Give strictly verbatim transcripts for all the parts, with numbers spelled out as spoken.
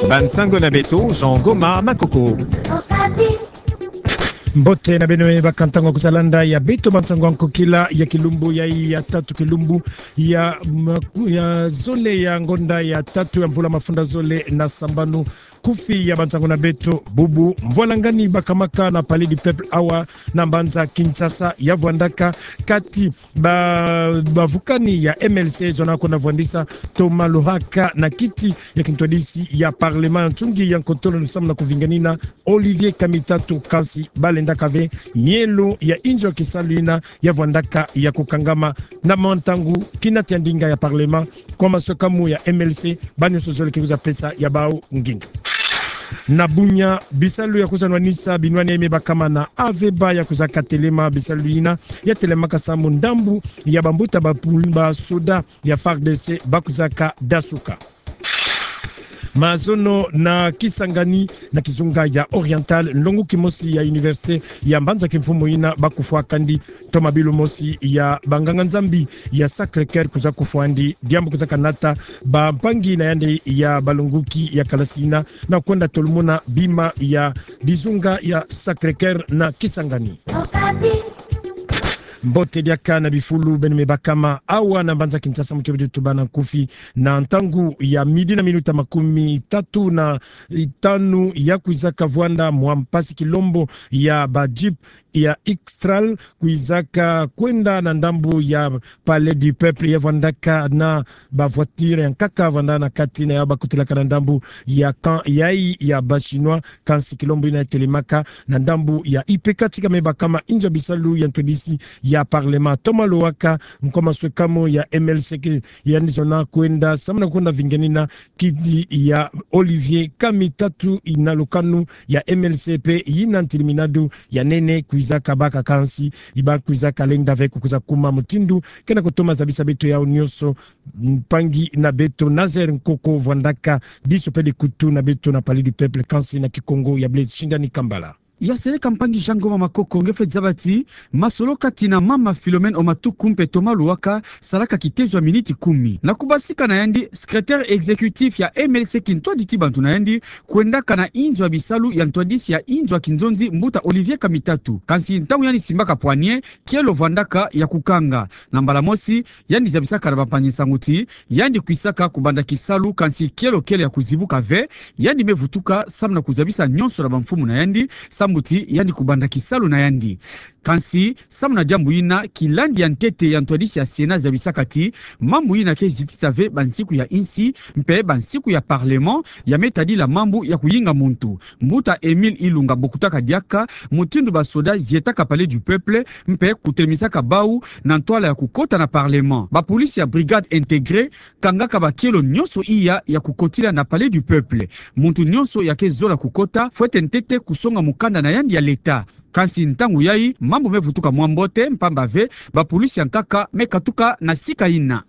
Bansango na beto, Jean Goma Makoko. Mbote na beno, bakantangwa kuzalanda ya beto bansango ya nkokila ya kilumbu ya, ya tatu, kilumbu ya maku-, ya zole ya ngonda ya tatu ya mvula mafunda zole na sambanu. Kufi ya bansango na beto bubu: mvwalangani bakamaka na Palais du Peuple awa na mbanza Kinshasa ya vwandaka kati ba, bavukani ya M L C zona kwenda vwandisa Thomas Lohaka na kiti ya kintwadisi ya Parlement, ntungi ya nkotolo, samu na kuvinganina Olivier Kamitatu, kansi balendaka ve mielo ya inzo ya kisalu ina ya vwandaka ya kukangama na mwa ntangu kina ti ya ndinga ya Parlement. Kwa maswekamu ya M L C, banyonso zole ke kwiza pesa ya bau nginga. Na Bunia, bisalu ya kwiza nwanisa binwani ya me bakama na Aveba ya kwizaka telema. Bisalu ina ya telemaka samu ndambu ya bambuta ba pul-, ba soda ya F A R D C ba kwizaka dasuka. Mazono na Kisangani, na kizunga ya Oriental, nlongo kimosi ya université ya mbanza kimfumu ina ba kufwa kandi toma bilu mosi ya banganga-Nzambi ya Sacré-Cœur kwiza kufwa andi, diambu kwiza kanata bampangi na yandi ya balongoki ya kalasi ina na kwenda tolomona bima ya dizunga ya Sacré-Cœur na Kisangani. Mbote diaka na bifulu beno me bakama awa na mbanza Kinshasa, muti bidi tubana nkufi na ntangu ya midi na minuta makumi tatu na itanu, ya kwizaka vwanda mwa mpasi kilombo ya ba jeep ya X-Trail kwizaka kwenda na ndambu ya Palais du Peuple, ya vwandaka na ba voiture ya nkaka vwanda na kati na ya ba kutilaka na ndambu ya camp yayi ya ba Chinois. Kansi kilombo ina ya telemaka na ndambu ya I P K, tika me bakama inzo ya bisalu ya ntwadisi ya Parlement Thomas Lohaka, nkwa maswekamu ya M L C ke yandi zona kwenda samu na kwenda vinganina kiti ya Olivier Kamitatu ina lukanu ya M L C mpe ina ntiliminadu ya nene kwizaka baka, kansi ba kwizaka lenda ve ko kwiza kuma mutindu kena kutoma zabisa beto yau nyonso. Mpangi na beto Nazaire Nkoko vwandaka diso mpe dikutu na beto na Palais du Peuple, kansi na Kikongo ya Blaise Shindani Kambala. Ya seleka mpangi Jean Goma Makoko, nge fwe zaba ti masolo kati na mama Philomène Omatuku mpe Thomas Lohaka salaka kitezo ya miniti kumi. Na kubasika na yandi, secrétaire exécutif ya M L C kintwadi ti bantu na yandi kwendaka na inzo ya bisalu ya ntwadisi ya inzo ya kinzonzi mbuta Olivier Kamitatu. Kansi ntangu yandi simbaka poignée, kielo vwandaka ya kukanga. Na mbala mosi, yandi zabisaka na bampangi-nsangu ti yandi kwisaka kubanda kisalu, kansi kielo kele ya kuzibuka ve. Yandi me vutuka samu na kuzabisa nyonso na bamfumu na yandi, sambu ti yandi kubanda kisalu na yandi. Kansi samu na diambu ina, kilandi ya ntete ya ntwadisi ya Sénat zabisaka ti mambu ina ke zitisa ve bansiku ya insi mpe bansiku ya Parlement ya me tadila mambu ya kuyinga muntu. Mbuta Émile Ilunga bokutaka diaka mutindu ba soda zietaka Palais du Peuple mpe kutelemisaka bau na ntwala ya kukota na Parlement. Ba polisi ya Brigade Intégrée kangaka bakielo nyonso iya ya kukotila na Palais du Peuple. Muntu nyonso ya ke zola kukota fwete ntete kusonga mukanda na yandi ya leta. Kansi ntangu yayi, mambu me vutuka mwa mbote, mpamba ve ba polisi ya nkaka me katuka na sika ina.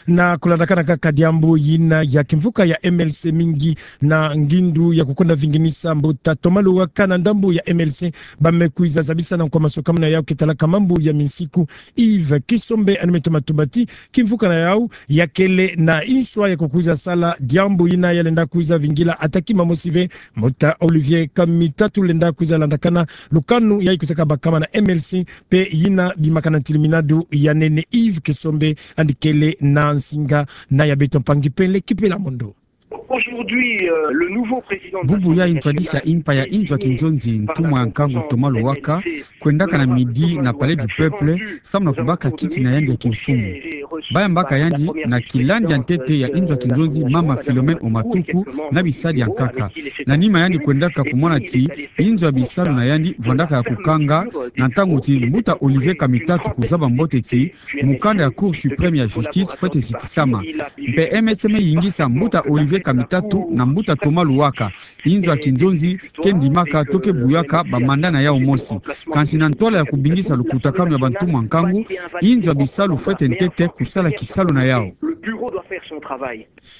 Na kulandakana kaka diambu ina ya kimvuka ya M L C mingi na ngindu ya kukwenda vinginisa mbuta Thomas Lohaka na ndambu ya M L C ba me kwiza zabisa na nkwa maswekamu na yau ke talaka mambu ya minsiku, Yves Kisombe, yandi me toma tuba ti kimvuka na yau ya kele na nswa ya kukwiza sala diambu ina ya lenda kwiza vingila ata kima mosi ve. Mbuta Olivier Kamitatu lenda kwiza landakana lukanu yayi kwizaka bakama na M L C mpe ina bimakana ntiliminadu ya nene. Yves Kisombe yandi kele na nsinga na ya beto mpangi Pele Kipela Mondo. Aujourd'hui, euh, le nouveau président de l'Assemblée nationale... Bubu yayi ntwadisi ya impa ya inzo ya kinzonzi, ntumwa ya nkangu Thomas Lohaka, kwendaka na midi na Palais du Peuple, samu na kubaka kiti na yandi ya kimfumu. Ba yambaka yandi na kilandi ya ntete ya inzo ya kinzonzi, mama Philomène Omatuku, na bisadi ya nkaka. Na nima yandi kwendaka kumona ti inzo ya bisalu na yandi vwandaka ya kukanga, na ntangu ti mbuta Olivier Kamitatu kuzaba mbote ti mukanda ya Cour suprême ya justice fwete zitisama. Mpe M L C me yingisa mbuta Olivier Kamitatu na mbuta Thomas Lohaka. Inzo ya kinzonzi ke ndimaka to ke buyaka ba mandat na yau mosi. Kansi na ntwala ya kubingisa lukutakanu ya bantumwa nkangu, inzo ya bisalu fwete ntete kusala kisalu na yau.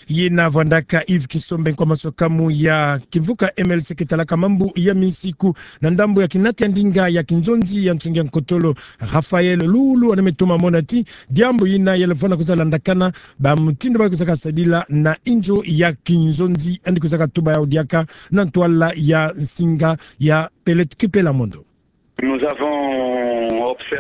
Yina vwandaka Yves Kisombe, nkwa masuka mu ya kimvuka M L C ke talaka mambu ya minsiku na ndambu ya kinata ya ndinga ya kinzonzi ya nsungi ya nkotolo, Raphaël Lulu, ane metoma mona ti diambu yina yalefwana kwiza landakana ba mutindu ba kwizaka sadila na inzo ya kinzonzi, andi kwizaka tuba yau diaka na ntwala ya nsinga ya Pellet Kipela Mondo.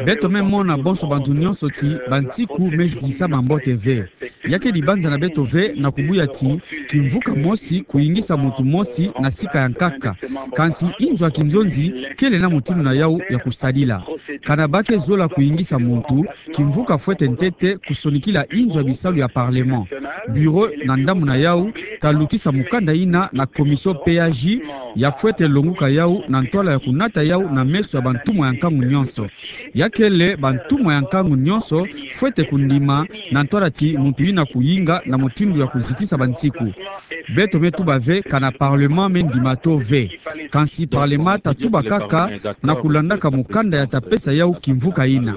Beto me mona bonso bantu nyonso ti bansiku me zitisa mambote ve. Ya ke dibanza na beto ve na kubuya ti kimvuka mosi kuyingisa muntu mosi na sika ya nkaka. Kansi inzo ya kinzonzi kele na mutindu na yau ya kusadila. Kana ba ke zola kuyingisa muntu, kimvuka fwete ntete kusonikila inzo ya bisalu ya Parlement. Bureau na ndambu na yau ta lutisa mukanda yina na commission P A J, ya fwete longuka yau na ntwala ya kunata yau na meso ya bantumwa ya nkangu nyonso. Ya kele bantumwa ya nkangu nyonso fwete kundima na ntwala ti muntu yina kuyinga na mutindu ya kuzitisa bansiku. Beto me tuba ve kana Parlement me ndima to ve. Kansi Parlement ta tuba kaka na kulandaka mukanda ya ta pesa yau kimvuka yina.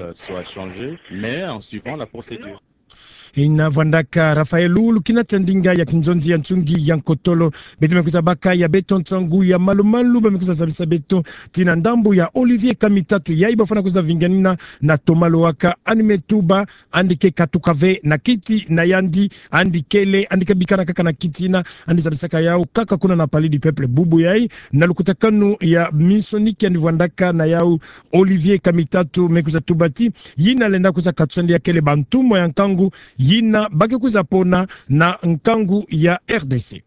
Yina vwandaka Raphaël Lulu, kinata ya ndinga ya kinzonzi ya nsungi ya nkotolo. Beto me kwiza baka ya beto nsangu ya malu-malu, ba me kwiza zabisa beto ti na ndambu ya Olivier Kamitatu, yayi bafwana kwiza vinganina na Thomas Lohaka, ane me tuba andi ke katuka ve na kiti na yandi, andi kele, andi kabikana kaka na kiti yina, andi zabisaka yau kaka kuna na Palais du Peuple bubu yayi. Na lukutakanu ya minsoni ki andi vwandaka na yau, Olivier Kamitatu me kwiza tuba ti yina lenda kwiza katusa andi ya kele bantumwa ya nkangu yina ba ke kwiza pona na nkangu ya R D C.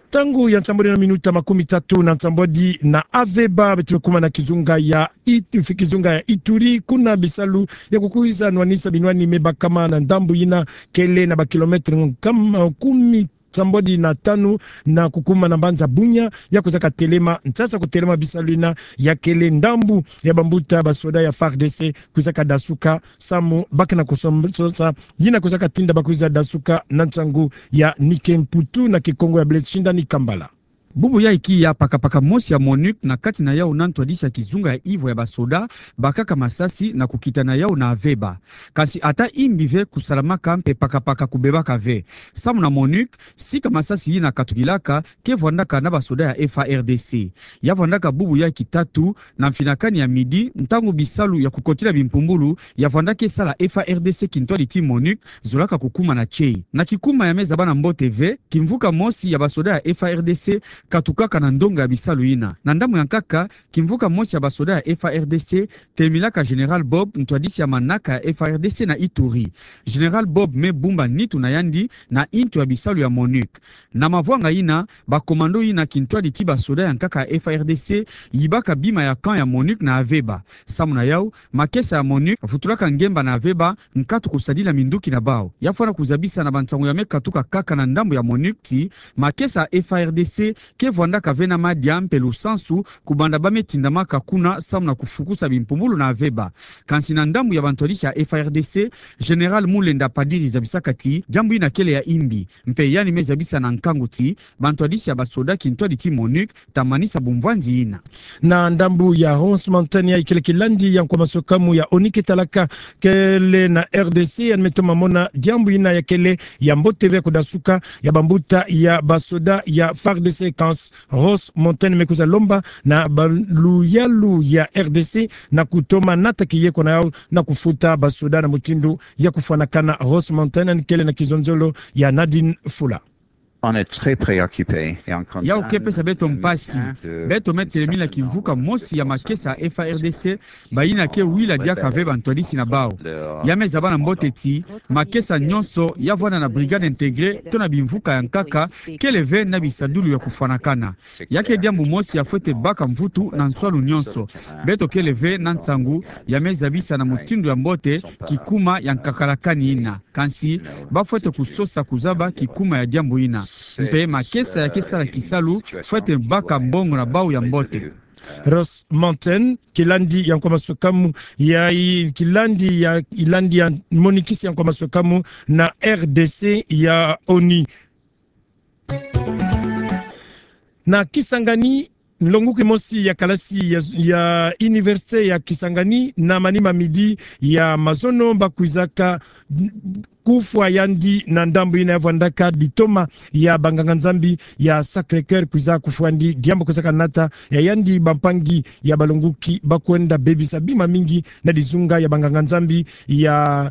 Ntangu ya nsambwadi na minuta makumi tatu na nsambwadi na Aveba, beto me kuma na kizunga ya It-, kizunga ya Ituri, kuna bisalu ya kukwiza nwanisa binwani me bakama na ndambu yina kele na ba kilomètre nkama kumi nsambwadi na tanu na kukuma na mbanza Bunia, ya kwizaka telema, nsasa kutelema bisalu yina ya kele ndambu ya bambuta basoda ya F A R D C kwizaka dasuka, samu ba ke na kusom-, sosa yina kwizaka tinda ba kwiza dasuka na nsangu ya Nike Mputu na Kikongo ya Blaise Shindani Kambala. Bubu yayi kiya pakapaka mosi ya MONUC na kati na yau na ntwadisi ya kizunga ya Ivo ya basoda bakaka masasi na kukita na yau na Aveba. Kansi ata imbi ve kusalamaka mpe pakapaka kubebaka ve. Samu na MONUC, sika masasi yina katukilaka ke vwandaka na basoda ya F A R D C. Ya vwandaka bubu yayi kitatu na mfinakani ya midi, ntangu bisalu ya kukotila bimpumbulu ya vwanda ke sala F A R D C kintwadi ti MONUC zolaka kukuma na tieyi. Na kikuma ya me zaba na mbote ve, kimvuka mosi ya basoda ya F A R D C katukaka na ndonga ya bisalu yina. Na ndambu ya nkaka, kimvuka mosi ya basoda ya F A R D C telemilaka Général Bob, ntwadisi ya manaka ya F A R D C na Ituri. Général Bob me bumba nitu na yandi na intu ya bisalu ya MONUC. Na mavwanga yina, ba commando yina kintwadi ti basoda ya nkaka ya F A R D C yibaka bima ya camp ya MONUC na Aveba. Samu na yau, makesa ya MONUC vutulaka ngemba na Aveba, nkatu kusadila minduki na bau. Ya fwana kuzabisa na bansangu ya me katuka kaka na ndambu ya MONUC ti makesa ya F A R D C ke vwandaka ve na madia mpe lusansu kubanda ba me tindamaka kuna samu na kufukusa bimpumbulu na Aveba. Kansi na ndambu ya bantwadisi ya F A R D C, Général Mulenda Padiri zabisaka ti diambu yina kele ya imbi. Mpe yandi me zabisa na nkangu ti bantwadisi ya basoda kintwadi ti MONUC ta manisa bumvwanzi yina. Na ndambu ya Ross Mountain, yayi kele kilandi ya nkwa masuka mu ya ONU ke talaka kele na R D C, yandi me toma mona diambu yina ya kele ya mbote ve kudasuka ya bambuta ya basoda ya F A R D C. Kansi Ross Mountain me kwiza lomba na baluyalu ya R D C na kutoma nata kiyeko na yau na kufuta basoda na mutindu ya kufwanakana. Ross Mountain, yandi kele na kizonzolo ya Nadine Fula. On est très préoccupé. Yau ke pesa beto mpasi. Beto me telemila kimvuka mosi ya makesa ya F A R D C, bayina ke wila diaka ve bantwadisi na bau. Ya me zaba na mbote ti makesa nyonso ya vwanda na brigade intégrée to na bimvuka ya nkaka kele ve na bisadulu ya kufwanakana. Ya ke diambu mosi ya fwete baka mvutu na nswalu nyonso. Beto kele ve na nsangu ya me zabisa na mutindu ya mbote kikuma ya nkakalakani yina. Kansi ba fwete kusosa kuzaba kikuma ya diambu yina. Mpe makesa ya ke sala kisalu fwete baka mbongo na bau ya mbote. Ross Mountain, kilandi ya nkwa masuka mu, yayi kilandi ya, kilandi ya monikisi ya nkwa masuka mu na R D C ya ONU. Na Kisangani, Nlongoki mosi ya kalasi ya, ya Université ya Kisangani na manima midi ya mazono bakuizaka kufwa yandi na ndambu ina ya vwandaka ditoma ya banganga-Nzambi ya Sacré-Cœur kuiza kufwa yandi, diambu kuizaka nata ya yandi bampangi ya balongoki bakwenda bebisa bima mingi na dizunga ya banganga-Nzambi ya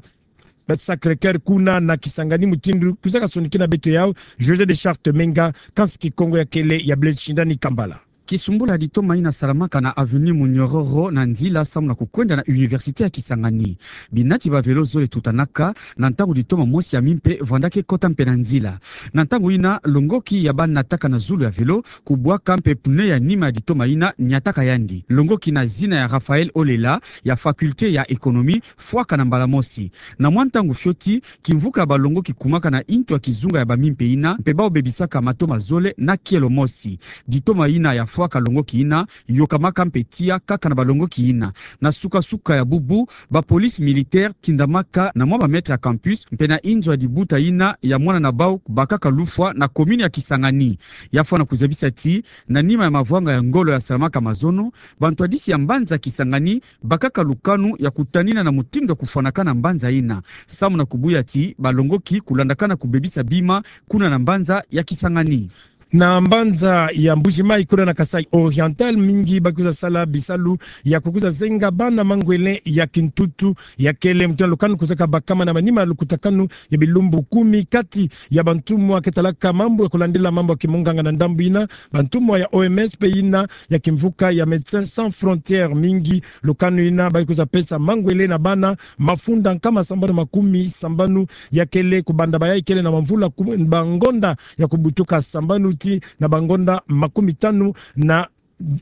Sacré-Cœur kuna na Kisangani, mutindu kuizaka sonikina beto yau José de Charte Menga, kansi Kikongo ya kele ya Blaise Shindani Kambala. Kisumbula ditoma ina salamaka na avenue Munyororo na nzila samu na kukwenda na Université ya Kisangani. Binati ba vélo zole tutanaka na ntangu ditoma mosi ya mimpe vwandaka kota mpe na nzila. Na ntangu ina, longoki ya bana nataka na zulu ya vélo kubwaka mpe pneu ya nima ya ditoma ina niataka yandi. Longoki na zina ya Raphaël Olela, ya faculté ya économie, fwaka na mbala mosi. Na mwa ntangu fioti, kimvuka ya balongoki kumaka na intu ya kizunga ya bamimpe ina, mpe bau bebisaka matoma zole na kielo mosi. Ditoma ina ya fwaka longoki ina yokamaka mpe tiya kaka na balongoki ina. Na suka-suka ya bubu, ba police militaire tindamaka na mwa ba mètres ya campus mpe na inzo ya dibuta ina ya mwana na bau bakaka lufwa na commune ya Kisangani. Ya fwana kuzabisa ti, na nima ya mavwanga ya ngolo ya salamaka mazono, bantwadisi ya mbanza Kisangani bakaka lukanu ya kutanina na mutindu ya kufwanakana mbanza ina, samu na kubuya ti balongoki kulandakana kubebisa bima kuna na mbanza ya Kisangani. Na mbanza ya Mbuji-Mayi kuna na Kasaï Oriental, mingi bakuiza sala bisalu ya kukuiza zenga bana mangwele ya kintutu, ya kele mutindu lukanu kuizaka bakama na manima lukutakanu ya bilumbu kumi kati ya bantumwa ke talaka mambu ya kulandila mambu ya kimunganga na ndambu ina, bantumwa ya O M S mpe ina ya kimvuka ya Médecins Sans Frontières. Mingi lukanu ina bakuiza pesa mangwele na bana mafunda nkama sambanu makumi sambanu, ya kele kubanda bayayi kele na mamvula ku-, bangonda ya kubutuka sambanu tii na bangonda makumi tanu na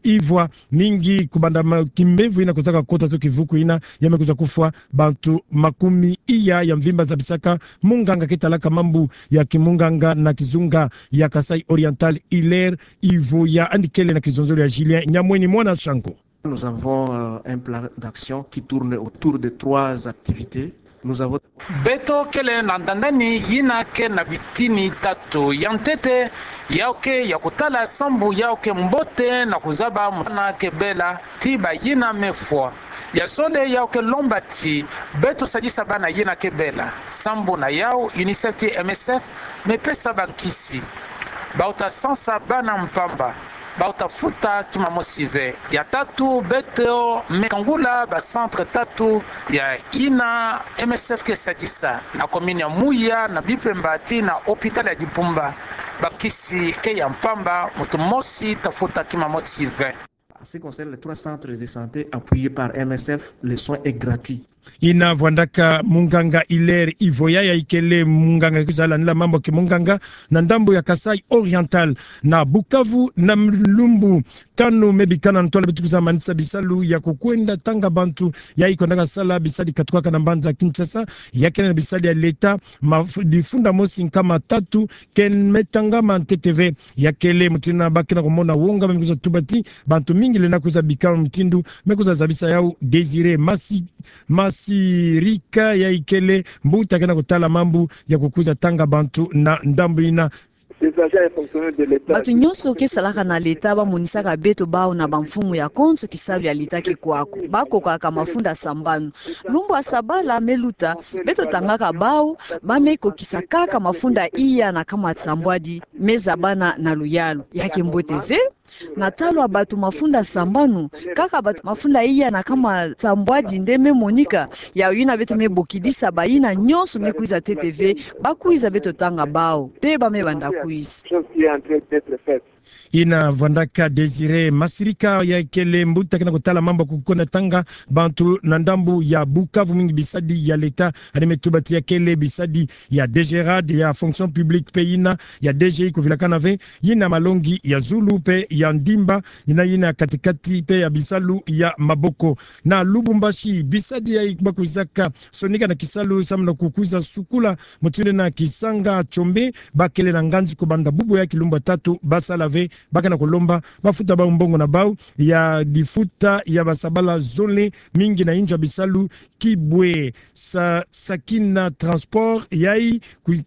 ivwa. Mingi kubanda ma-, kimbevo ina kuizaka kota to kivuku ina, ya me kuiza kufwa bantu makumi iya ya mvimba, zabisaka munganga ke talaka mambu ya kimunganga na kizunga ya Kasaï Oriental, Hilaire Ivoya, yandi kele na kizonzolo ya Julien Nyamweni, mwana Shango. Nous avons, euh, un plan d'action qui tourne autour de trois activités. Nous avons... Beto kele na ndandani yina ke na bitini tatu. Ya ntete, yau ke ya kutala sambu yau ke mbote na kuzaba mwana ke bela tii bayina mefwa. Ya zole, yau ke lomba ti beto sadisa bana yina ke bela. Sambu na yau, UNICEF tii M S F mepesa bankisi. Bau ta sansa bana mpamba, bau ta futa kima mosi ve. Ya tatu, beto me kangula ba centre tatu ya yina M S F ke sadisa na commune ya Muya, na Bipemba tii na hôpital ya Dibumba. Bankisi ke ya mpamba, muntu mosi ta futa kima mosi ve. En ce qui concerne les trois centres de santé appuyés par M S F, le soin est gratuit. Yina vwandaka munganga Hilaire Ivoya, yayi kele munganga ke kuiza landila mambu ya kimunganga na ndambu ya Kasaï Oriental. Na Bukavu, na malumbu tanu me bikana ntwala beto kuiza manisa bisalu ya kukwenda tanga bantu yayi kwendaka sala bisadi katukaka na mbanza Kinshasa, ya kele na bisadi ya leta, ma-, difunda mosi nkama tatu ke me tangama ntete ve. Ya kele mutindu ba ke na kumona wonga, ba me kuiza tuba ti bantu mingi lenda kuiza bika mutindu. Me kuiza zabisa yau Désiré Masi-, Masirika, yayi kele mbuta ke na kutala mambu ya kukuiza tanga bantu na ndambu yina. Ces agents et fonctionnaires de l'État... Bantu nyonso ke salaka na leta bamonisaka beto bau na bamfumu ya konso kisalu ya leta ke kwa ko. Bakokaka mafunda sambanu. Lumbu ya sabala me luta, beto tangaka bau, ba me kokisa kaka mafunda iya na nkama sambwadi me zabana na luyalu. Ya ke mbote ve. Na ntalu ya bato mafunda sambanu, kaka bato mafunda iya na nkama sambwadi nde me monika. Yau yina beto me bokidisa bayina nyonso me kuiza ntete ve, ba kuiza beto tanga bau, mpe ba me banda kuiza. Chose qui est en train d'être faite. Yina vwandaka Désiré Masirika, yayi kele mbuta ke na kutala mambu ya kukwenda tanga bantu na ndambu ya Bukavu, mingi bisadi ya leta. Yandi me tuba ti ya kele bisadi ya DGRAD, ya fonction publique mpe yina ya DGI kuvilakana ve, yina malongi ya zulu mpe ya ndimba, yina, yina kati-kati mpe ya bisalu ya maboko. Na Lubumbashi, bisadi yayi ba kuizaka sonika na kisalu samu na kukuiza sukula mutindu na Kisanga Tshombe, ba kele na nganzi kubanda bubu ya kilumbu tatu ba sala ve. Ba ke na kulomba ba futa bau mbongo na bau ya difuta ya basabala zole, mingi na inzo ya bisalu kibwe. Sa-, Sakina Transport, yayi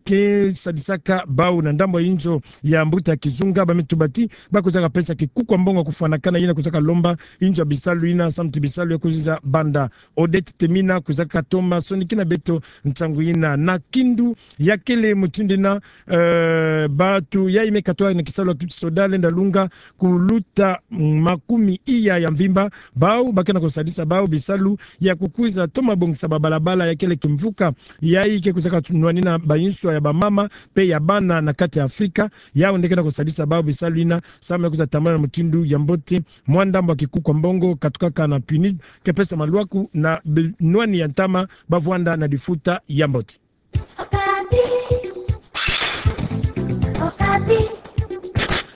ke sadisaka bau na ndambu ya inzo ya mbuta kizunga, ba me tuba ti ba kuizaka pesa kikuku ya mbongo ya kufwanakana, yina kwizaka lomba inzo ya bisalu yina, samu ti bisalu ya kuzinza banda. Odette Temina kwizaka toma sonikina beto ntangu yina. Na Kindu, ya kele mutindu yina, eh, bantu yayi me katwa na kisalu ya kisoda lenda lunga kuluta makumi iya ya mvimba, bawu bakena kusadisa bawu bisalu ya kukwiza toma bongisa babalabala, ya kele kimvuka yayi ke kwizaka nwanina banswa ya bamama mpe ya bana na kati ya Afrika. Yawu nde kena kusadisa bawu bisalu yina, samu ya kwiza tambula na mutindu ya mbote. Mwa ndambu ya kikuku ya mbongo katukaka na PNUD ke pesa malwaku na bi-, nwani ya ntama ba vwanda na difuta ya mbote.